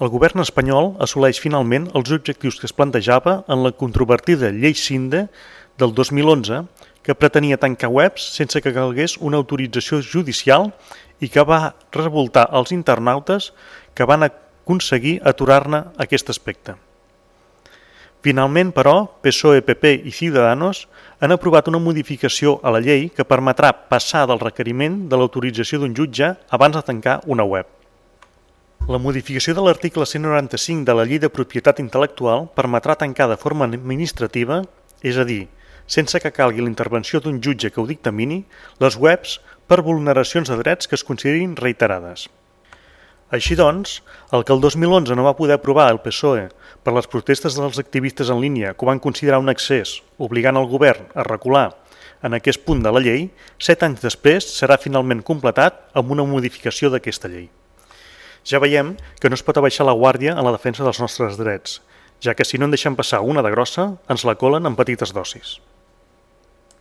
El govern espanyol assoleix finalment els objectius que es plantejava en la controvertida Llei Sinde del 2011, que pretenia tancar webs sense que calgués una autorització judicial i que va revoltar els internautes que van aconseguir aturar-ne aquest aspecte. Finalment, però, PSOE, PP i Ciudadanos han aprovat una modificació a la llei que permetrà passar del requeriment de l'autorització d'un jutge abans de tancar una web. La modificació de l'article 195 de la Llei de Propietat Intel·lectual permetrà tancar de forma administrativa, és a dir, sense que calgui la intervenció d'un jutge que ho dictamini, les webs per vulneracions de drets que es considerin reiterades. Així doncs, el que el 2011 no va poder aprovar el PSOE per les protestes dels activistes en línia que ho van considerar un excés, obligant el govern a recular en aquest punt de la llei, 7 anys després serà finalment completat amb una modificació d'aquesta llei. Ja veiem que no es pot abaixar la guàrdia en la defensa dels nostres drets, ja que si no en deixem passar una de grossa, ens la colen en petites dosis.